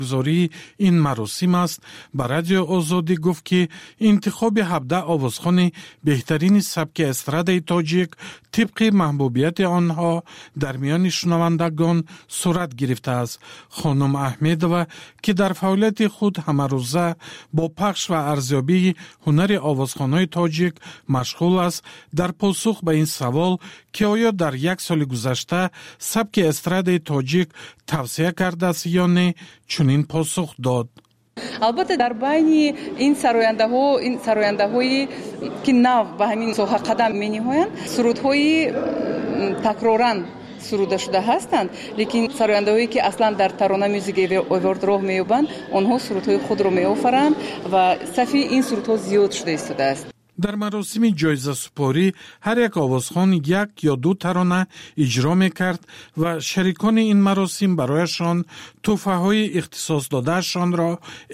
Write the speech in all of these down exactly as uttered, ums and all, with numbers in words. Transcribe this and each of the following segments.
Гузории ин маросим аст, ба Радио Озодӣ гуфт, ки интихоби ҳабдаҳ овозхони беҳтарини сабки эстрадаи тоҷик тибқи маҳбубияти онҳо дар миёни шунавандагон сурат гирифтааст. Хонум Аҳмедова, ки дар фаъолияти худ ҳамарӯза бо пахш ва арзёбии ҳунари овозхонҳои тоҷик машғул аст, дар посух ба ин савол, ки оё дар як соли гузашта сабки эстрадаи тоҷик тавсеа кардааст ё не, чунин посух дод: Албатта, дар байни ин сарояндаҳо, ин сарояндаҳое ки нав ба ҳамин соҳа қадам мениҳоянд, сурудҳои такроран суруда шуда ҳастанд, лекин сарояндаҳое ки аслан дар Тарона Мюзик Эворд роҳ меёбанд, онҳо сурудҳои худро меофаранд ва сафи ин сурудҳо зиёд шуда истодааст. Дар маросими ҷоизасупорӣ ҳар як овозхон як ё ду тарона иҷро мекард ва шарикони ин маросим барояшон тӯҳфаҳои ихтисосдодаашонро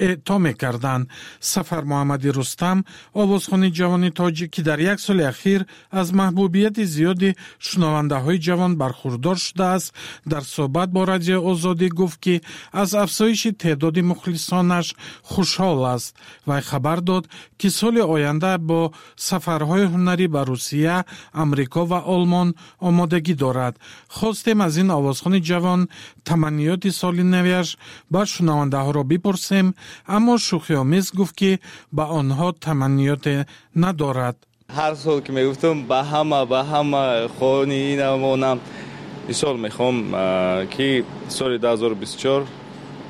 эъто мекарданд. Сафармуҳаммади Рустам, овозхони ҷавони тоҷик, ки дар як соли ахир аз маҳбубияти зиёди шунавандаҳои ҷавон бархурдор шудааст, дар суҳбат бо Радиои Озодӣ гуфт, ки аз афзоиши теъдоди мухлисонаш хушҳол аст. Вай хабар дод, ки соли оянда бо сафарҳои ҳунарӣ ба Русия, Амрико ва Олмон омодагӣ дорад. Хостем аз ин овозхони ҷавон таманниёти соли навиаш ба шунавандаҳоро бипурсем, аммо шӯхиомез гуфт, ки ба онҳо таманниёте надорад. Ҳар сол ки мегуфтам ба ҳама, ба ҳама хони инам, онам, ин сол мехоҳам, ки соли дуҳазору бисту чор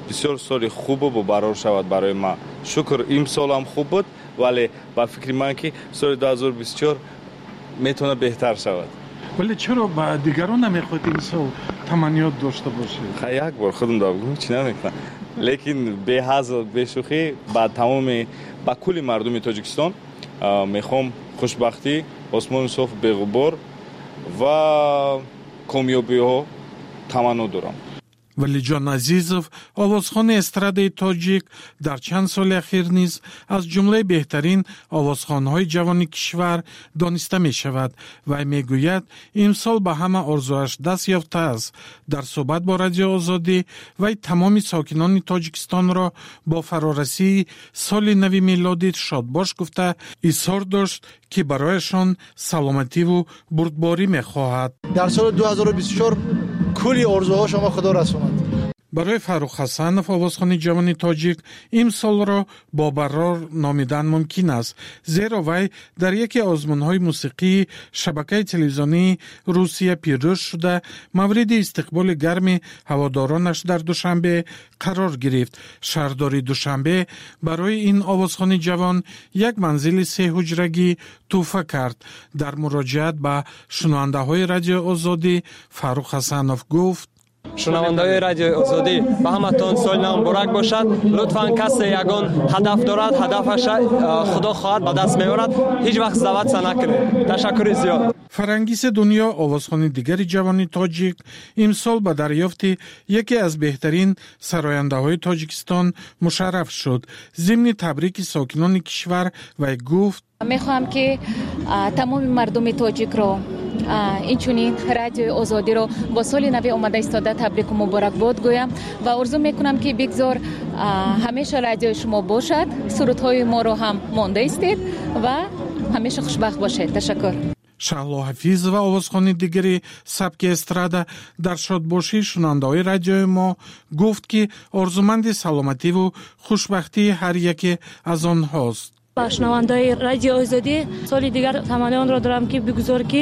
бисёр соли хубу бобарор шавад барои ман. Шукр, имсолам хуб буд, вале ба фикри ман, ки соли дуҳазору бисту чор метавонад беҳтар шавад. Вале чаро ба дигарон намехоҳед имсол таманниёт дошта бошед? Як бор худам дабгум, чӣ намекунам, лекин беҳазл, бешӯхӣ, ба тамоми, ба кулли мардуми Тоҷикистон мехоҳам хушбахтӣ, осмони соф, беғубор ва комёбиҳо таманно дорам. Валиҷон Азизов, овозхони эстрадаи тоҷик, дар чанд соли ахир низ аз ҷумлаи беҳтарин овозхонҳои ҷавони кишвар дониста мешавад. Вай мегӯяд, имсол ба ҳама орзуаш даст ёфтааст. Дар суҳбат бо Радиои Озодӣ вай тамоми сокинони Тоҷикистонро бо фарорасии соли нави мелодӣ шодбош гуфта, изҳор дошт, ки барояшон саломативу бурдборӣ мехоҳад. Дар соли ду ҳазору бисту чор кулли орзуҳо шумо Худо расонад. Барои Фаррух Ҳасанов, овозхони ҷавони тоҷик, имсолро бобарор номидан мумкин аст, зеро вай дар яке озмунҳои мусиқии шабакаи телевизионии Русия пирӯз шуда, мавриди истиқболи гарми ҳаводоронаш дар Душанбе қарор гирифт. Шаҳрдори Душанбе барои ин овозхони ҷавон як манзили сеҳуҷрагӣ тӯҳфа кард. Дар муроҷиат ба шунавандаҳои Радиои Озодӣ Фаррух Ҳасанов гуфт: Шунавандаҳои Радиои Озодӣ, ба ҳаматон соли нав муборак бошад. Лутфан, касе ягон ҳадаф дорад, ҳадафаша, Худо хоҳад, ба даст меорад. Ҳеҷ вақт сдаваться накунед. Ташаккури зиёд. Фарангиси Дунё, овозхони дигари ҷавони тоҷик, имсол ба дарёфти яке аз беҳтарин сарояндаҳои Тоҷикистон мушарраф шуд. Зимни табрики сокинони кишвар вай гуфт: Мехоҳам, ки тамоми мардуми тоҷикро, инчунин Радиои Озодиро бо соли нави омада истода табрику муборакбод гӯям ва орзу мекунам, ки бигзор ҳамеша радиои шумо бошад, сурудҳои моро ҳам монда истед ва ҳамеша хушбахт бошед. Ташаккур. Шаҳло Ҳафизова, овозхони дигари сабки эстрада, дар шодбошии шунавандаҳои радиои мо гуфт, ки орзуманди саломативу хушбахтии ҳар яке аз онҳост. Ба шунавандаҳои Радиои Озодӣ соли дигар таманнои онро дорам, ки бигузор, ки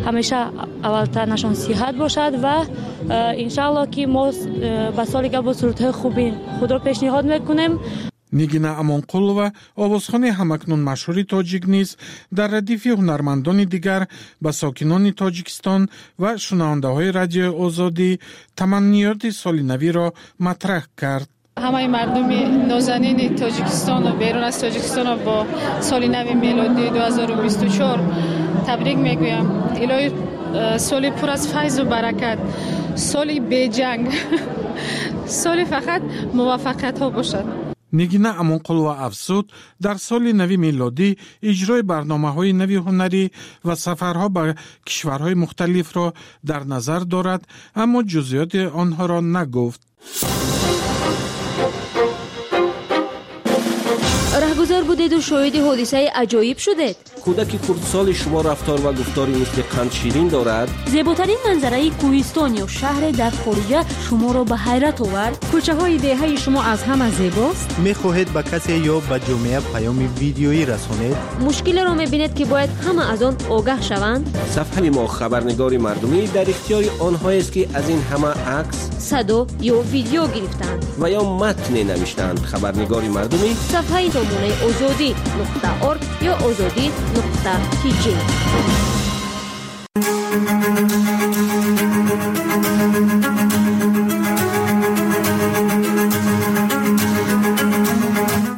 ҳамеша аввалтанашон сиҳат бошад ва э, иншаалло, ки мо э, ба соли дигар бо сурудҳои хуби худро пешниҳод мекунем. Нигина Амонқулова, овозхони ҳамакнун машҳури тоҷик, низ дар радифи ҳунармандони дигар ба сокинони Тоҷикистон ва шунавандаҳои Радиои Озодӣ таманниёти соли навиро матраҳ кард. Ҳамаи мардуми нозанини Тоҷикистону берун аз Тоҷикистонро бо соли нави мелодии ду ҳазору бисту чор табрик мегӯям. Илоҳӣ, э, соли пур аз файзу баракат, соли беҷанг, соли фақат муваффақиятҳо бошад. Нигина Амонқулова афзуд, дар соли нави мелодӣ иҷрои барномаҳои нави ҳунарӣ ва сафарҳо ба кишварҳои мухталифро дар назар дорад, аммо ҷузъиёти онҳоро нагуфт. Бозор будеду шоҳиди ҳодисаи аҷоиб шудед? Кӯдаки хурдсоли шумо рафтор ва гуфтори мисли қандширин дорад? Зеботарин манзараи кӯҳистон ё шаҳре дар хориҷа шуморо ба ҳайрат овард? Кӯчаҳои деҳаи шумо аз ҳама зебост? Мехоҳед ба касе ё ба ҷомеа паёми видеоӣ расонед? Мушкилеро мебинед, ки бояд ҳама аз он огаҳ шаванд? Сафҳаи мо хабарнигори мардумӣ дар ихтиёри онҳоест, ки аз ин ҳама акс, садо ё видео гирифтаанд ва ё матне навиштаанд. Хабарнигори мардумӣ сафҳаи сомонаи озодӣ нуқта орг ё озодӣ нуқта тиҷи.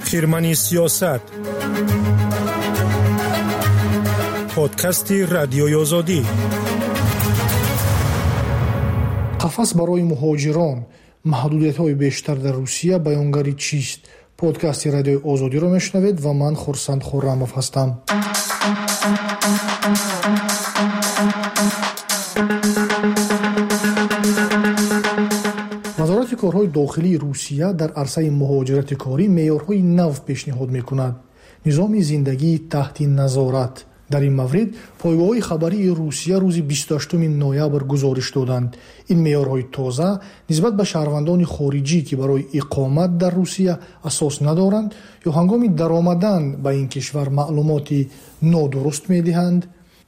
Хирмани сиёсат, подкасти Радиои Озодӣ. Қафас барои муҳоҷирон, маҳдудиятҳои бештар дар Русия баёнгари чист? Подкасти Радиои Озодиро мешунавед ва ман Хурсанд Хуррамов ҳастам. Вазорати корҳои дохилии Русия дар арсаи муҳоҷирати корӣ меъёрҳои нав пешниҳод мекунад. Низоми зиндагии таҳти назорат. Дар ин маврид пойгоҳҳои хабарии Русия рӯзи бисту ҳаштуми ноябр гузориш доданд. Ин меъёрҳои тоза нисбат ба шаҳрвандони хориҷӣ, ки барои иқомат дар Русия асос надоранд ё ҳангоми даромадан ба ин кишвар маълумоти нодуруст медиҳанд,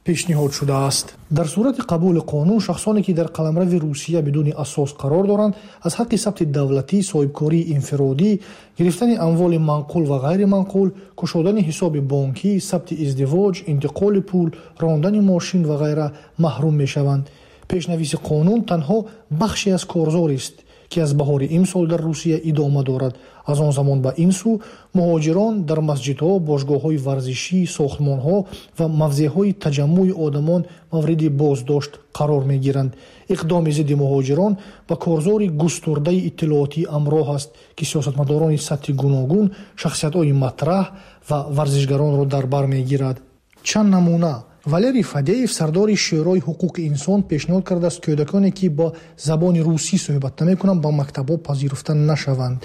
пешниҳод шудааст. Дар сурати қабули қонун, шахсоне ки дар қаламрави Русия бидуни асос қарор доранд, аз ҳаққи сабти давлатӣ, соҳибкории инфиродӣ, гирифтани амволи манқул ва ғайриманқул, кушодани ҳисоби бонкӣ, сабти издивоҷ, интиқоли пул, рондани мошин ва ғайра маҳрум мешаванд. Пешнависи қонун танҳо бахше аз корзорист, ки аз баҳори имсол дар Русия идома дорад. Аз он замон ба ин сӯ муҳоҷирон дар масҷидҳо, бошгоҳҳои варзишӣ, сохтмонҳо ва мавзеъҳои таҷаммуи одамон мавриди боздошт қарор мегиранд. Иқдоми зидди муҳоҷирон ба корзори густурдаи иттилоотӣ ҳамроҳ аст, ки сиёсатмадорони сатҳи гуногун, шахсиятҳои матраҳ ва варзишгаронро дар бар мегирад. Чанд намуна. Валерий Фадеев, сардори Шӯрои ҳуқуқи инсон, пешниҳод кардааст кӯдаконе, ки бо забони русӣ суҳбат намекунанд, ба мактабҳо пазируфта нашаванд.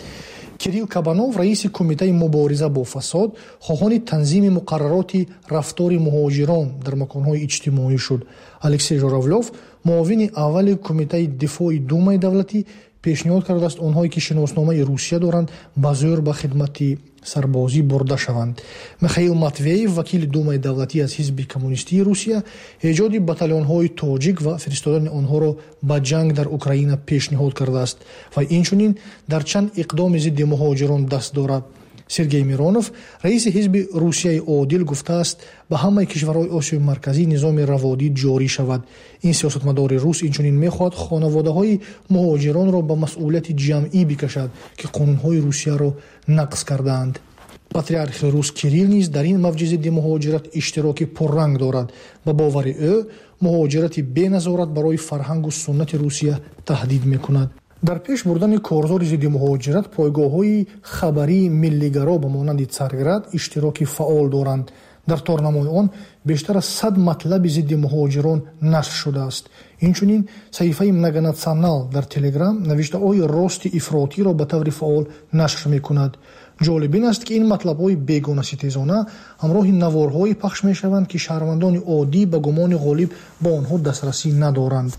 Кирилл Кабанов, раиси Кумитаи мубориза бо фасод, хоҳони танзими муқаррароти рафтори муҳоҷирон дар маконҳои иҷтимоӣ шуд. Алексей Журавлёв, муовини аввали Кумитаи дифои Думаи давлатӣ, пешниҳод кардааст онҳое, ки шиносномаи Русия доранд, ба зӯр ба хидмати сарбозӣ бурда шаванд. Михаил Матвеев, вакили Думаи давлатӣ аз ҳизби коммунистии Русия, эҷоди батальонҳои тоҷик ва фиристодани онҳоро ба ҷанг дар Украина пешниҳод кардааст ва инчунин дар чанд иқдоми зидди муҳоҷирон даст дорад. Сергей Миронов, раиси ҳизби Русияи одил, гуфтааст ба ҳамаи кишварҳои Осиёи Марказӣ низоми раводид ҷорӣ шавад. Ин сиёсатмадори рус инчунин мехоҳад хонаводаҳои муҳоҷиронро ба масъулияти ҷамъӣ бикашад, ки қонунҳои Русияро нақз кардаанд. Патриархи рус Кирилл низ дар ин мавҷи зидди муҳоҷират иштироки пурранг дорад. Ба бовари ӯ, муҳоҷирати беназорат барои фарҳангу суннати Русия таҳдид мекунад. Дар пеш бурдани корзори зидди муҳоҷират пойгоҳҳои хабарии миллигаро ба монанди Царград иштироки фаъол доранд. Дар торнамои он бештар аз сад матлаби зидди муҳоҷирон нашр шудааст. Инчунин саҳифаи Многонационал дар Телеграм навиштаҳои рости ифротиро ба таври фаъол нашр мекунад. Ҷолиб ин аст, ки ин матлабҳои бегонаситезона ҳамроҳи наворҳое пахш мешаванд, ки шаҳрвандони оддӣ ба гумони ғолиб ба онҳо дастрасӣ надоранд.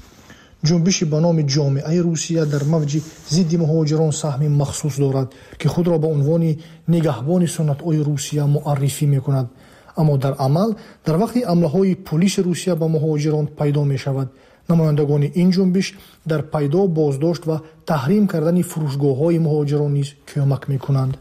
Ҷунбиши ба номи ҷомеаи Русия дар мавҷи зидди муҳоҷирон саҳми махсус дорад, ки худро ба унвони нигаҳбони суннатҳои Русия муаррифӣ мекунад. Аммо дар амал дар вақти ҳамлаҳои пулиси Русия ба муҳоҷирон пайдо мешавад. Намояндагони ин ҷунбиш дар пайдо, боздошт ва таҳрим кардани фурӯшгоҳҳои муҳоҷирон низ кӯмак мекунанд.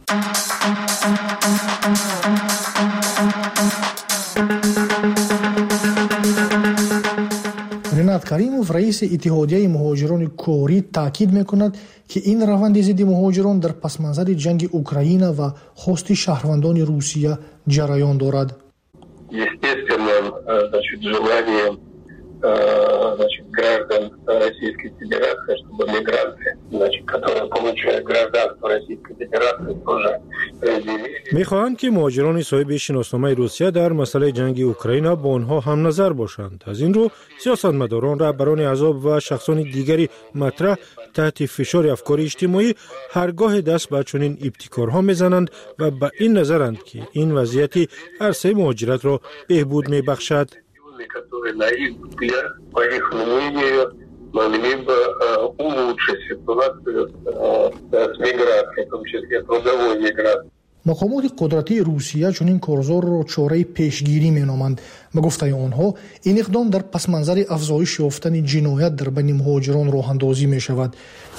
Ринат Каримов, раиси Иттиҳодияи муҳоҷирони корӣ, таъкид мекунад, ки ин раванди зидди муҳоҷирон дар пасманзари ҷанги Украина ва хости шаҳрвандони Русия ҷараён дорад. Естественным, значит, желанием, значит, граждан Российской Федерации, чтобы мигранты, значит, которые получают гражданство Российской Федерации, тоже разделили Мехоҳанд, ки муҳоҷирони соҳиби шиносномаи Русия дар масъалаи ҷанги Украина бо онҳо ҳамназар бошанд. Аз ин рӯ сиёсатмадорон, раҳбарони аҳзоб ва шахсони дигари матраҳ таҳти фишори афкори иҷтимоӣ ҳаргоҳе даст ба чунин ибтикорҳо мезананд ва ба ин назаранд, ки ин вазъияти арсаи муҳоҷиратро беҳбуд мебахшад. Могли бы улучшить ситуацию с миграцией, в том числе трудовой миграцией. Мақомоти қудратии Русия чунин корзорро чораи пешгирӣ меноманд. Ба гуфтаи онҳо, ин иқдом дар пасманзари афзоиш ёфтани ҷиноят дар байни муҳоҷирон роҳандозӣ мешавад.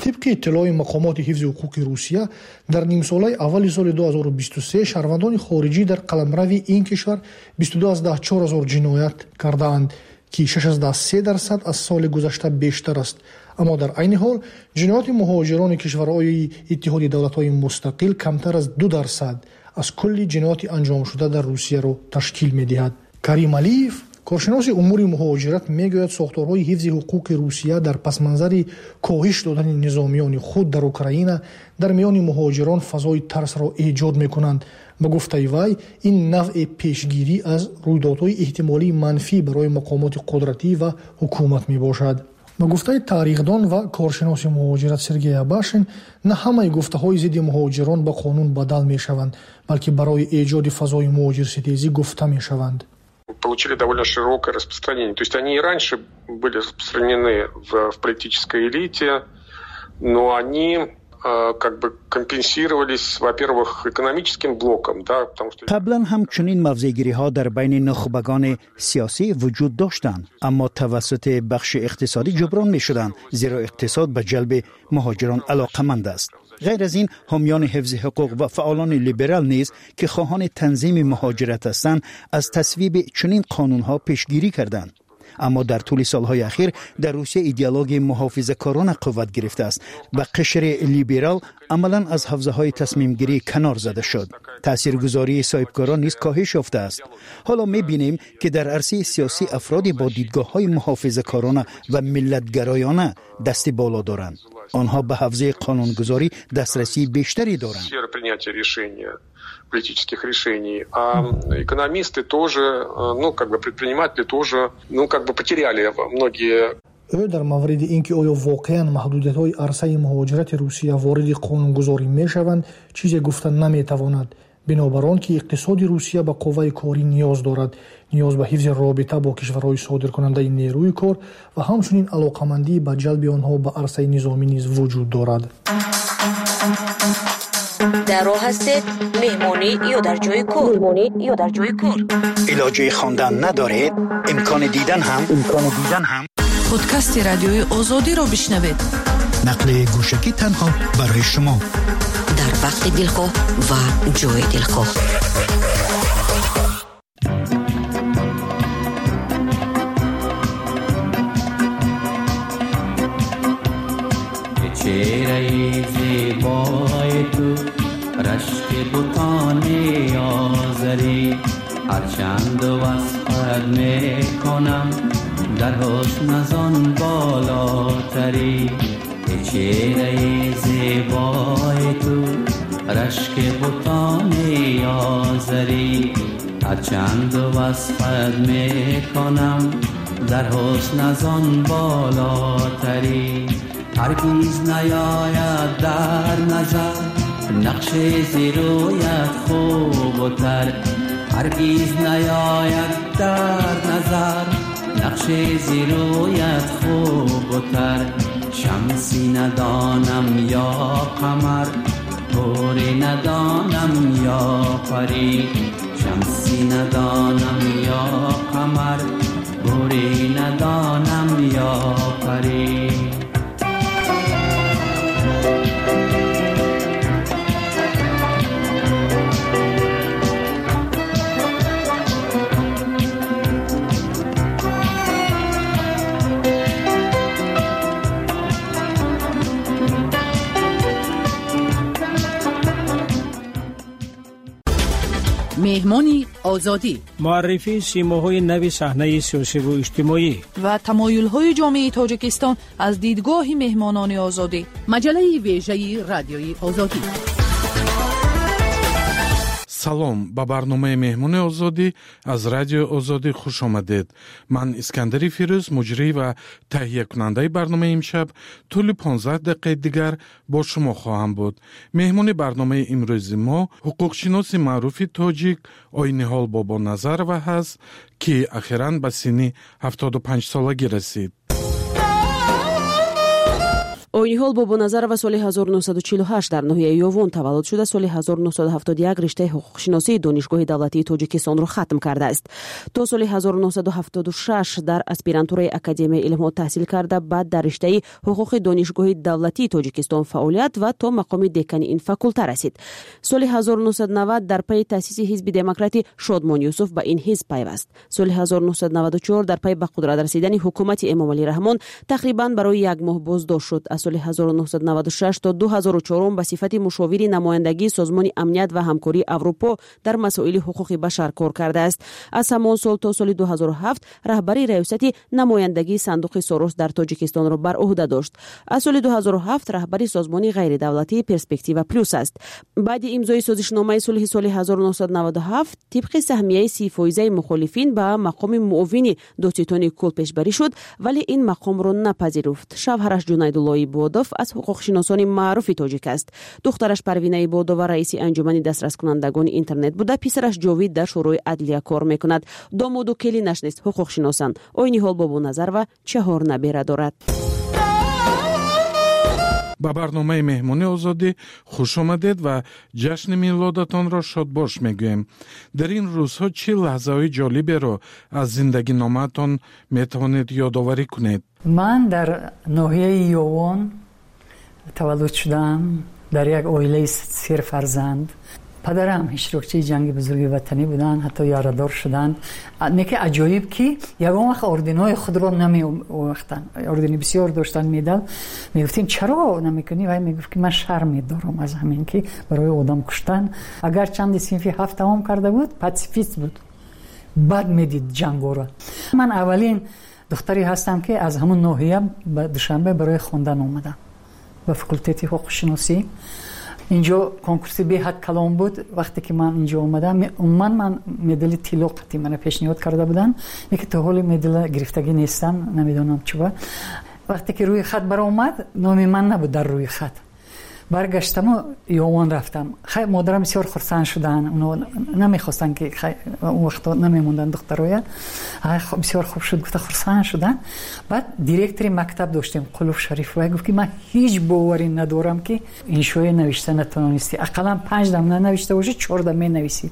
Тибқи иттилои мақомоти ҳифзи ҳуқуқи Русия, дар нимсолаи аввали соли ду ҳазору бисту се шаҳрвандони хориҷӣ дар қаламрави ин кишвар бисту ду аз даҳ чор ҳазор ҷиноят кардаанд, ки шаш аз даҳ се дарсад аз соли гузашта бештар аст. Аммо дар айни ҳол ҷинояти муҳоҷирони кишварҳои Иттиҳоди давлатҳои мустақил камтар аз ду дарсад аз кулли ҷинояти анҷомшуда дар Русияро ташкил медиҳад. Карим Алиев, коршиноси умури муҳоҷират, мегӯяд сохторҳои ҳифзи ҳуқуқи Русия дар пасманзари коҳиш додани низомиёни худ дар Украина дар миёни муҳоҷирон фазои тарсро эҷод мекунанд. Ба гуфтаи вай, ин навъи пешгирӣ аз рӯйдодҳои эҳтимолии манфӣ барои мақомоти қудратӣ ва ҳукумат мебошад. Ба гуфтаи таърихдон ва коршиноси муҳоҷират Сергей Абашин, на ҳамаи гуфтаҳои зидди муҳоҷирон ба қонун бадал мешаванд, балки барои эҷоди фазои муҳоҷирситезӣ гуфта мешаванд. Получили довольно широкое распространение. То есть они и раньше были распространены в, в политической элите, но они как бы компенсировались, во-первых, экономическим блоком, да, потому что қаблан ҳам чунин мавзеъгириҳо дар байни нухбагони сиёсӣ вуҷуд доштанд, аммо тавассути бахши иқтисодӣ ҷуброн мешуданд, зеро иқтисод ба ҷалби муҳоҷирон алоқаманд аст. Ғайр аз ин, ҳомиёни ҳифзи ҳуқуқ ва фаъолони либерал низ, ки хоҳони танзими муҳоҷират ҳастанд, аз тасвиби чунин қонунҳо пешгирӣ карданд. Аммо дар тӯли солҳои ахир дар Русия идеологияи муҳофизакорона қувват гирифтааст ва қишри либерал амалан аз ҳавзаҳои тасмимгирӣ канор зада шуд. Таъсиргузории соҳибкорон низ коҳиш ёфтааст. Ҳоло мебинем, ки дар арсаи сиёсӣ афроде бо дидгоҳҳои муҳофизакорона ва миллатгароёна дасти боло доранд. Онҳо ба ҳавзаи қонунгузорӣ дастрасии бештаре доранд. Политических решений, а экономисты тоже, ну, как бы предприниматели тоже, ну, как бы потеряли многие. Ӯ дар мавриди ин ки оё воқеан маҳдудиятҳои арсаи муҳоҷирати Русия вориди қонунгузорӣ мешаванд, чизе гуфта наметавонад. Бинобар он ки иқтисоди Русия ба қувваи корӣ ниёз дорад, ниёз ба ҳифзи робита бо кишварҳои содиркунандаи нерӯи кор ва ҳамчунин алоқамандӣ ба ҷалби онҳо ба арсаи низомӣ низ вуҷуд дорад. Дар роҳ ҳастед, меҳмонӣ ё дар ҷои кор, меҳмонӣ ё дар ҷои кор. Илоҷи хондан надоред, имкони дидан ҳам, имкони дидан ҳам. Подкасти радиои Озодиро бишнавед. Нақли гӯшакӣ танҳо барои шумо. Дар вақти дилхоҳ ва ҷои дилхоҳ. Чеҳраи зебои ту рашки бутони озарӣ, ҳарчанд васфат мекунам дар ҳусн аз он болотарӣ. Чеҳраи зебои ту рашки бутони озарӣ, ҳарчанд васфат мекунам дар ҳусн аз он болотарӣ. Ҳаргиз наёяд дар назар нақши зерӯят хубтар, ҳаргиз наёяд дар назар нақши зерӯят хубтар. Шамси надонам ё қамар, ҳури надонам ё парӣ, шамси надонам ё қамар, ҳури надонам ё парӣ. Меҳмони Озодӣ, муаррифии симоҳои нави саҳнаи сиёсиву иҷтимоӣ ва тамоюлҳои ҷомеаи Тоҷикистон аз дидгоҳи меҳмонони Озодӣ. Маҷаллаи вежаи радиои Озодӣ. Салом, ба барномаи Меҳмони Озодӣ аз Радиои Озодӣ хуш омадед. Ман Искандари Фирӯз, муҷрӣ ва таҳиякунандаи барномаи имшаб, тӯли понздаҳ дақиқаи дигар бо шумо хоҳам буд. Меҳмони барномаи имрӯзи мо ҳуқуқшиноси маъруфи тоҷик Ойниҳол Бобоназарова ҳаст, ки ахиран ба синни ҳафтоду панҷсолагӣ расид. Ойниҳол Бобоназарова соли ҳазору нӯҳсаду чилу ҳашт дар ноҳияи Ёвон таваллуд шуда, соли ҳазору нӯҳсаду ҳафтоду як риштаи ҳуқуқшиносии Донишгоҳи давлатии Тоҷикистонро хатм кардааст. То соли ҳазору нӯҳсаду ҳафтоду шаш дар аспирантураи Академияи илмҳо таҳсил карда, баъд дар риштаи ҳуқуқи Донишгоҳи давлатии Тоҷикистон фаъолият ва то мақоми декани ин факулта расид. Соли ҳазору нӯҳсаду навад дар пайи таъсиси ҳизби демократи Шодмон Юсуф ба ин ҳизб пайваст. Соли ҳазору нӯҳсаду наваду чор дар пайи ба қудрат расидани ҳукумати Эмомалӣ Раҳмон тақрибан барои як моҳ боздошт шуд. Аз соли ҳазору нӯҳсаду наваду шаш то ду ҳазору чорум ба сифати мушовири намояндагии Созмони амният ва ҳамкории Аврупо дар масоили ҳуқуқи башар кор кардааст. Аз ҳамон сол то соли ду ҳазору ҳафт раҳбари раёсати намояндагии сандуқи Сорос дар Тоҷикистонро бар уҳда дошт. Аз соли ду ҳазору ҳафт раҳбари созмони ғайридавлатии Перспектива Плюс аст. Баъди имзои созишномаи сулҳи соли ҳазору нӯҳсаду наваду ҳафт тибқи саҳмияи си фоизаи мухолифин ба мақоми муовини додситони кул пешбарӣ шуд, вале ин мақомро напазируфт. Шавҳараш Ҷунайдулло Ибодов аз ҳуқуқшиносони маъруфи тоҷик аст. Духтараш Парвина Ибодова раиси анҷумани дастраскунандагони интернет буда, писараш Ҷовид дар Шӯрои адлия кор мекунад. Домоду келинаш низ ҳуқуқшиносанд. Ойниҳол Бобоназарова чаҳор набера дорад. Ба барномаи Меҳмони Озодӣ хуш омадед ва ҷашни милодатонро шодбош мегӯем. Дар ин рӯзҳо чӣ лаҳзаҳои ҷолиберо аз зиндагиномаатон метавонед ёдоварӣ кунед? Ман дар ноҳияи Ёвон таваллуд шудам, дар як оилаи серфарзанд. Падарам иштирокчии ҷанги бузурги ватанӣ буданд, ҳатто ярадор шуданд. Неки аҷоиб, ки ягон вақт орденҳои худро намеовехтанд. Ордени бисёр доштанд, медал. Мегуфтем, чаро намекунӣ? Вай мегуфт, ки ман шарм медорам аз ҳамин, ки барои одам куштан. Агар чанди синфи ҳафт тамом карда буд, патсифист буд, бад медид ҷангоро. Ман аввалин духтаре ҳастам, ки аз ҳамон ноҳия ба Душанбе барои хондан омадам, ба факултети ҳуқуқшиносӣ. Инҷо конкурси беҳад калон буд. Вақте ки ман инҷо омадам, умуман ман медали тилло қатъи мана пешниҳод карда буданд, лекин то ҳоли медала гирифтагӣ нестам, намедонам чуба. Вақте ки рӯи хат баромад, номи ман набуд дар рӯи хат. Баргаштаму Ёвон рафтам. Хай, модарам бисёр хурсанд шуданд, оно намехостанд, ки хай, он вақто намемонданд духтароя. Бисёр хуб шуд, гуфта хурсанд шуданд. Баъд директори мактаб доштем, Қулуф Шариф, вай гуфт, ки ман ҳеҷ боварӣ надорам, ки иншоя навишта натавонистӣ. Ақаллан панҷ дам нанавишта бошӣ, чор дам менависӣ.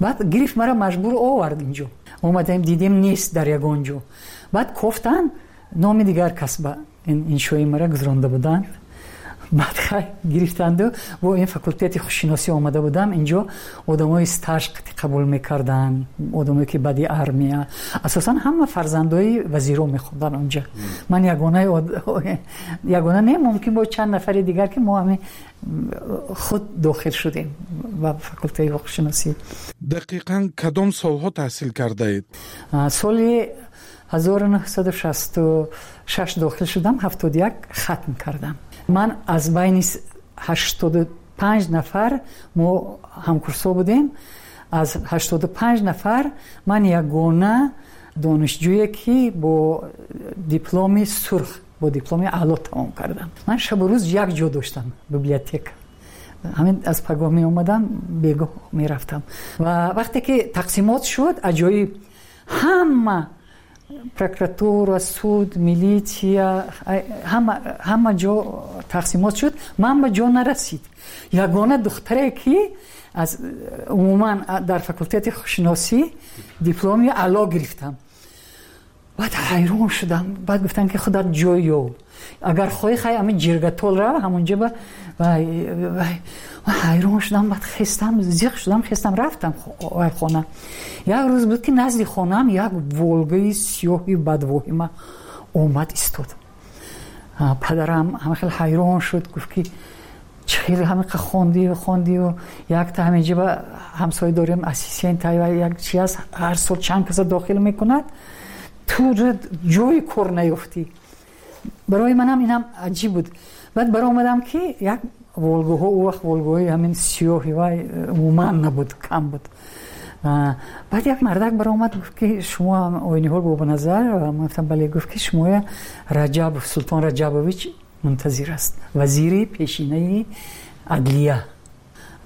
Баъд гирифт мара маҷбур овард инҷо. Омадем, дидем, нест дар ягон ҷо. Баъд кофтан, номи дигар кас ба иншои мара гузаронда буданд. Баъд хай гирифтанду бо ин факултети хушшиносӣ омада будам. Инҷо одамои стаж қабул мекарданд, одамое ки баъди армия, асосан ҳама фарзандои вазиро мехонданд онҷа. Ман ягона ягона не, мумкин бо чанд нафари дигар, ки мо ҳамин худ дохил шудем ба факултети ҳуқуқшиносӣ. Дақиқан кадом солҳо таҳсил кардаед? Соли ҳазору нӯҳсаду шасту шаш дохил шудам, ҳафтоду як хатм кардам. Ман аз байни ҳаштоду панҷ нафар мо ҳамкурсо будем, аз ҳаштоду панҷ нафар ман ягона донишҷӯе, ки бо дипломи сурх, бо дипломи аъло тамом кардам. Ман шабу рӯз як ҷо доштам, библиотека. Ҳамин аз пагоҳ меомадам, бегоҳ мерафтам. Ва вақте ки тақсимот шуд, аҷоиб, ҳама прокуратура, суд, милитсия, ҳама ҳама ҷо тақсимот шуд. Ман ба ҷо нарасид. Ягона духтаре, ки аз умуман дар факултети хушшиносӣ дипломи аъло гирифтам. Баъд ҳайрон шудам. Баъд гуфтам, ки худат ҷой ёб, агар хоҳӣ, хай ҳамин ҷиргатол рав, ҳамонҷо ба. Ҳайрон шудам. Баъд хестам, зиқ шудам, хестам, рафтам вай хона. Як рӯз буд, ки назди хонаам як Волгаи сиёҳи бадвоҳима омад истод. Падарам ҳама хел ҳайрон шуд, гуфт, ки чӣ хел ҳамиқа хондию хондию якта ҳаминҷо ба ҳамсоя дорем, ассистент як чи аст, ҳар сол чанд каса дохил мекунад, ту ҷои кор наёфтӣ. Барои манам инам аҷиб буд. Баъд баромадам, ки як Волгаҳо он вақт Волгаҳои ҳамин сиёҳи вай умуман набуд, кам буд. Баъд як мардак баромад, гуфт ки шумо Ойниҳол Бобоназар? Ман гуфтам бале. Гуфт ки шумоя Раҷабов, Султон Раҷабович мунтазир аст, вазири пешинаи адлия.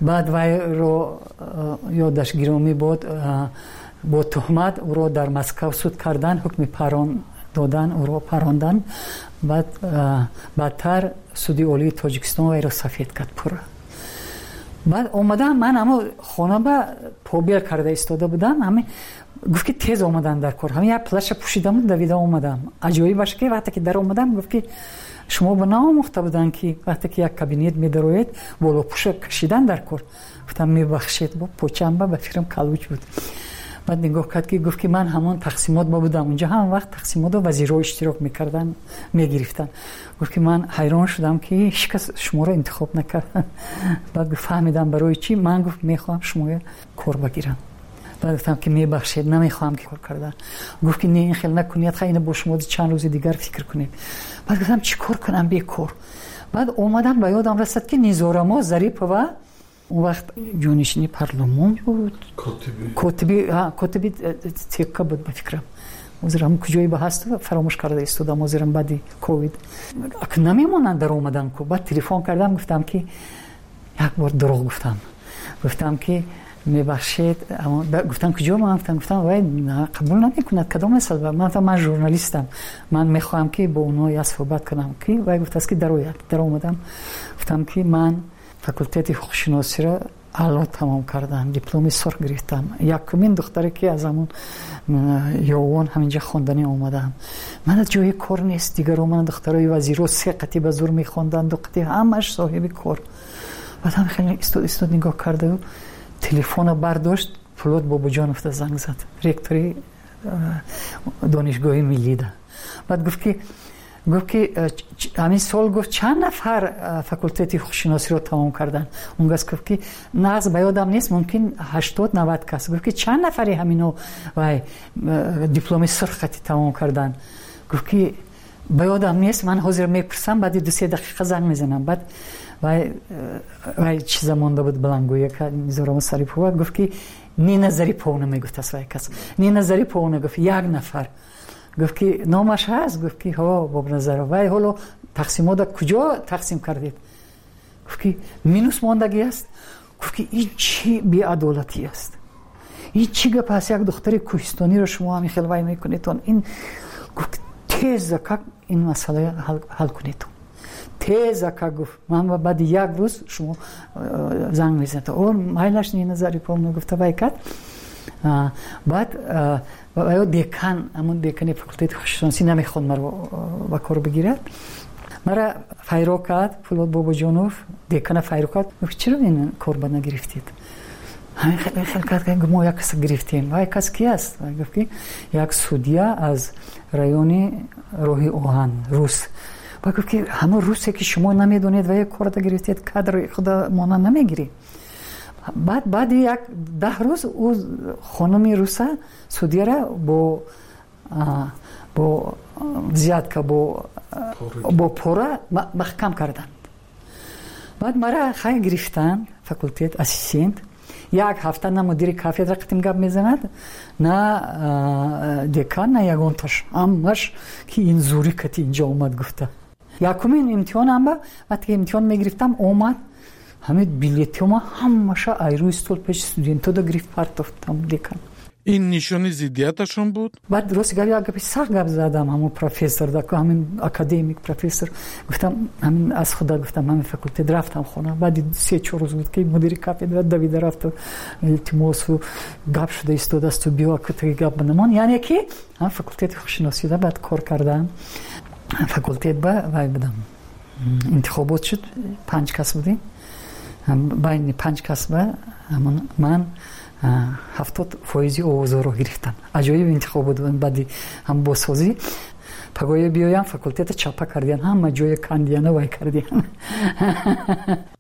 Баъд вайро ёдаш гиромӣ буд, бо туҳмат ӯро дар Москав суд кардан, ҳукми парон додан, ӯро парондан. Баъд баъдтар суди олии Тоҷикистон вайро сафед кард пурра. Баъд омадам, ман ҳамо хона ба побел карда истода будам, ҳами гуфт ки тез омадан дар кор. Ҳами як плаша пӯшидаму давида омадам. Аҷоибаш ки вақте ки дар омадам, гуфт ки шумо ба наомӯхта буданд ки вақте ки як кабинет медароед, болопӯша кашидан дар кор. Гуфтам мебахшед, бо почамба ба фикрам калуч буд. Баъд нигоҳ кард ки гуфт ки ман ҳамон тақсимот ба будам, унҷо ҳам вақт тақсимотро вазирҳо иштирок мекарданд, мегирифтанд. Гуфт ки ман ҳайрон шудам ки ҳеҷ кас шуморо интихоб накард. Баъд гуфт фаҳмидам барои чӣ. Ман гуфт мехоҳам шуморо кор бигирам. Баъд гуфтам ки мебахшед, намехоҳам ки кор кардан. Гуфт ки не, ин хел накунед, хай ина бо шумо чанд рӯзи дигар фикр кунед. Баъд гуфтам чӣ кор кунам бекор. Баъд омадам ба ёдам расад ки Низорамо Зарипова он вақт ҷонишини парлумон буд, котиби котиби тека буд ба фикрам. Ҳозирам куҷое ба ҳаст фаромӯш карда истодам, ҳозирам баъди ковид намемонанд дар омадан ку. Баъд телефон кардам, гуфтам ки як бор дурӯғ гуфтам, гуфтам ки мебахшед. Гуфтам куҷо? Ман гуфтам гуфтам вай қабул намекунад, кадом масъала? Ман гуфтам ман журналистам, ман мехоҳам ки бо онҳо як суҳбат кунам. Ки вай гуфтааст ки дарояд. Даромадам, гуфтам ки ман факултети ҳуқуқшиносиро аъло тамом кардам, дипломи сурх гирифтам, якумин духтаре ки аз ҳамон Ёвон ҳаминҷа хонданӣ омадам. Ман аз ҷои кор нест, дигаро ман духтарои вазиро се қатӣ ба зур мехонданд, ду қатӣ, ҳамаш соҳиби кор. Баъд ҳам хеле истод истод нигоҳ карда, телефона бардошт, Пулод Бобоҷонов занг зад, ректори донишгоҳи миллида. Баъд гуфт ки гуфт ки ҳамин сол гуфт чанд нафар факултети ҳуқуқшиносиро тамом карданд. Он гас гуфт ки нағз ба ёдам нест, мумкин ҳаштод навад кас. Гуфт ки чанд нафари ҳамино вай дипломи сурх хати тамом карданд. Гуфт ки ба ёдам нест, ман ҳозир мепурсам, баъди ду се дақиқа занг мезанам. Баъд вай вай чиза монда буд баландгӯяка Низорамо Сарипова, гуфт ки Нина Зариповна мегуфт вай кас. Нина Зариповна гуфт як нафар. Гуфт ки номаш ҳаст? Гуфт ки ҳо, Бобоназаров. Вай ҳоло тақсимотро куҷо тақсим кардед? Гуфт ки минус мондагӣ аст. Гуфт ки ин чӣ беадолатӣ аст, ин чӣ гап аст, як духтари кӯҳистониро шумо ҳамин хел вай мекунедтон. Ин гуфт теза как ин масъала ҳал кунедтон, теза как. Гуфт ман баъди як рӯз шумо занг мезанед. О майлаш Нина Зариповна гуфта вай кард. Баъд ё декан, ҳамон декани факултети ҳуқуқшиносӣ намехонд маро ба кор бигирад. Мара файро кард Пулод Бобоҷонов, декана файро кард. Гуфт чаро ин кор ба нагирифтед? Ҳамин хел хел кард, мо як кас гирифтем. Вай кас ки аст? Гуфт ки як судья аз райони роҳи оҳан, рус. Баъд гуфт ки ҳамон русе ки шумо намедонед ва як корда гирифтед, кадри худа монанд намегиред. Баъд баъди як даҳ рӯз ӯ хонуми руса судьяра бо бо взятка, бо бо пора маҳкам карданд. Баъд мара хай гирифтанд факултет ассистент. Як ҳафта на мудири кафедра қатим гап мезанад, на декан, на ягонташ. Ҳамаш ки ин зури кати инҷо омад гуфта. Якумин имтиҳонам ба вақте ки имтиҳон мегирифтам омад, ҳамин билетҳома ҳамаша айрӯи стол пеши студентода гирифт партофт декан. Ин нишони зиддияташон буд? Баъд рост гап як гапи сахт гап задам ҳамон профессор, ҳамин академик профессор. Гуфтам ҳамин аз худа гуфтам ҳамин факултет рафтам хона. Баъди се чор рӯз буд ки мудири кафедра давида рафту илтимосу гап шуда истодаасту биё кутаги гап бинамон. Яъне ки ҳам факултети ҳуқуқшиносида баъд кор кардам. Факултет ба вай будам. Интихобот шуд, панҷ кас будем. Байни панҷ кас ба ман ҳафтод фоизи овозҳоро гирифтам. Аҷоиб интихоб буд. Баъди ҳам бозсозӣ пагоя биёям факултета чапа кардиян, ҳама ҷоя кандияна вай кардиян.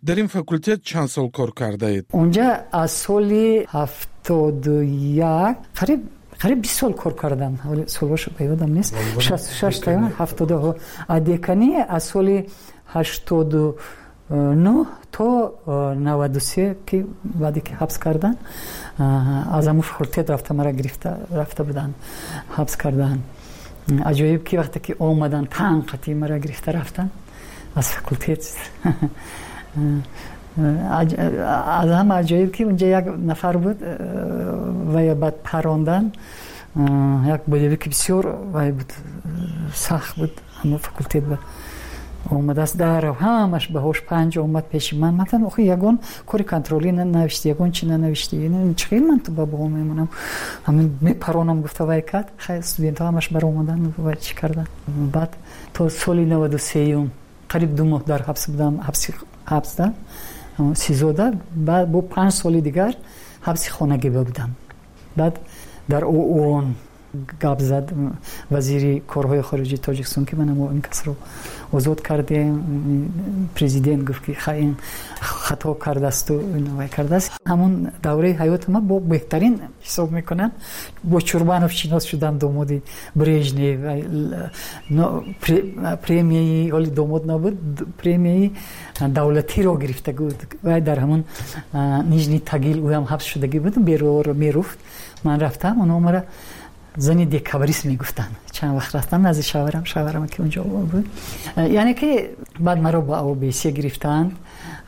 Дар ин факултет чанд сол кор кардаед? Онҷа аз соли ҳафтоду як қариб қариб бист сол кор кардам. Солҳош ба ёдам нест. Шасту шаш ҳафтоду деканӣ аз соли ҳаштоду нӯҳ то наваду се ки баъде ки ҳабс кардан, аз ҳамун факултет рафта мара гирифта рафта буданд, ҳабс кардан. Аҷоиб ки вақте ки омадан танқати мара гирифта рафтан аз факултет. Аз ҳама аҷоиб ки унҷа як нафар буд ва баъд парондан, як болевики бисёр вай буд, сахт буд, ҳамун факултет буд. Омадааст дар ҳамаш баҳош панҷ омад пеши ман. Ман гуфтам охи ягон кори контролӣ нанавишти, ягон чи нанавишти, чӣ хел ман ту ба баҳо мемонам? Ҳамин мепаронам гуфта вай кард. Хай студентҳо ҳамаш баромадан вай чӣ кардан. Баъд то соли наваду сеюм қариб ду моҳ дар ҳабс будам, ҳабси ҳабсда сизода. Баъд бо панҷ соли дигар ҳабси хонагӣ будам. Баъд дар ООН гап зад вазири корҳои хориҷии Тоҷикистон ки ман ин касро озод кардем. Президент гуфт ки хай ин хато кардасту вай кардааст. Ҳамун давраи ҳаёти ман бо беҳтарин ҳисоб мекунам. Бо Чурбанов шинос шудам, домоди Брежнев. Премияи ҳоли домод набуд, премияи давлатиро гирифта буд. Вай дар ҳамун Нижний Тагил ӯям ҳабс шудагӣ буд, бероро меруфт. Ман рафтам, онҳо мара зани декабрист мегуфтанд. Чанд вақт рафтам назди шавҳарам, шавҳарам ки унҷо буд. Яъне ки баъд маро ба О Б С гирифтанд,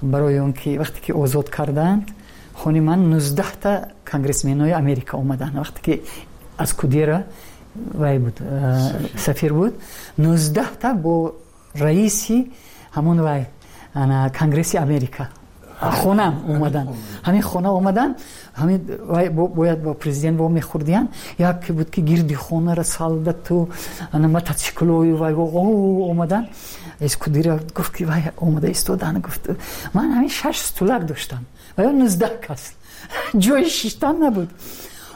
барои он ки вақте ки озод карданд, хони ман нуздаҳта конгрессменои Америка омаданд. Вақте ки аз Кудера вай буд, сафир буд, нуздаҳта бо раиси ҳамон вай конгресси Америка хонам омадан. Ҳамин хона омадан, ҳамин вай бояд бо президент во мехӯрдиян. Яке буд ки гирди хонара солдату мотоциклою вай омадан. Эскудира гуфт ки вай омада истодан. Гуфт ман ҳамин шаш стулак доштам, вай нуздаҳ кас, ҷои шиштан набуд.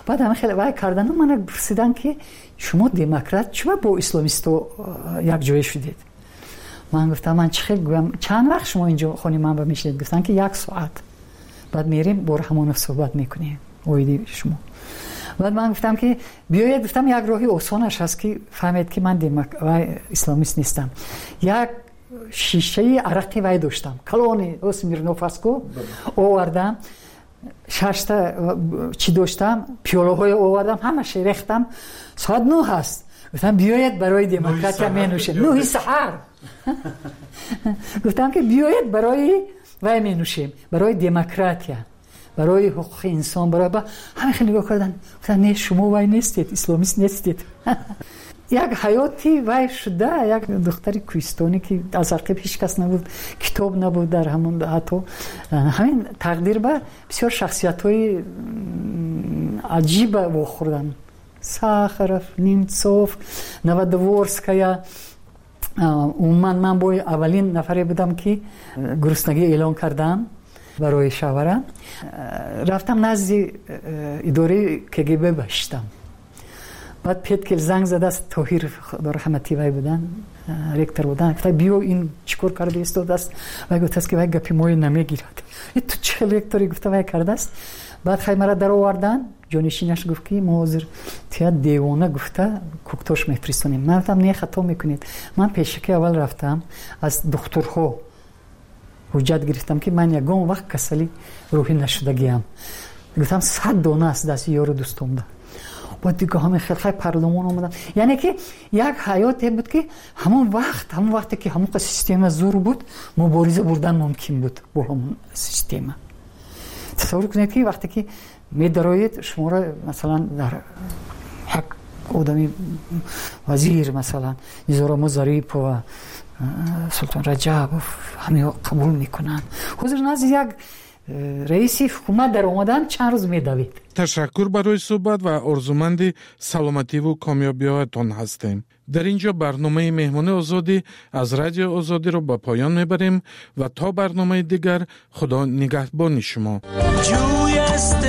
Баъд ҳамин хеле вай кардану мана пурсидан ки шумо демократ, чума бо исломисто якҷоя шудед? Ман гуфтам ман чӣ хел гӯям, чанд вақт шумо инҷо хони ман ба мешинед? Гуфтанд ки як соат, баъд мерем бо Раҳмонов суҳбат мекунем оиди шумо. Баъд ман гуфтам ки биёед, гуфтам як роҳи осонаш ҳаст ки фаҳмед ки ман вай исломист нестам. Як шишаи арақи вай доштам, калони Смирнов астку, овардам, шашта чӣ доштам, пиёлаҳое овардам, ҳамаша рехтам. Соат нӯҳ ҳаст. Гуфтам биёед барои демократия менӯшем. Нӯҳи саҳар. Гуфтам ки биёед барои вай менӯшем, барои демократия, барои ҳуқуқи инсон, барои ҳама. Хеле нигоҳ кардан, гуфтам не, шумо вай нестед, исломист нестед. Як ҳаёти вай шуда, як духтари кӯҳистонӣ ки аз ақиб ҳеҷ кас набуд, китоб набуд дар ҳамон, ҳатто ҳамин тақдир ба бисёр шахсиятҳои аҷиба вохӯрдам. Сахаров, Немцов, Новодворская. Умуман ман бо аввалин нафаре будам ки гуруснагӣ эълон кардам барои шавҳарам. Рафтам назди идораи К Г Б баштам. Баъд Петкел занг задааст, Тоҳир раҳматӣ вай будан, ректор будан. Гуфта биё, ин чӣ кор карда истодааст? Вай гуфтааст ки вай гапи мои намегирад. Ту чӣ хел ректори, гуфта вай кардааст. Баъд хай мара даровардан. Ҷонишинаш гуфт ки мо ҳозир тия девона гуфта Куктош мефиристонем. Ман гуфтам не, хато мекунед. Ман пешаки аввал рафтам, аз духтурҳо ҳуҷҷат гирифтам ки ман ягон вақт касали рӯҳӣ нашудагиам. Гуфтам сад дона аст дасти ёру дӯстомда. Баъд дига ҳамин хел хай парлумон омадам. Яъне ки як ҳаёте буд ки ҳамон вақт, ҳамон вақте ки ҳамон система зур буд, мубориза бурдан мумкин буд бо ҳамон система. Тасаввур кунед ки вақте ки медароед, шуморо масалан дар як одами вазир, масалан Низорамо Зарипова, Султон Раҷабов, ҳамиҳо қабул мекунанд. Ҳозир назди як раиси ҳукумат дар омадан чанд рӯз медавед. Ташаккур барои суҳбат ва орзуманди саломативу комёбиҳоятон ҳастем. Дар ин ҷо барномаи Меҳмони Озодӣ аз Радио Озодиро ба поён мебарем ва то барномаи дигар Худо нигаҳбони шумо. Ҷӯй است.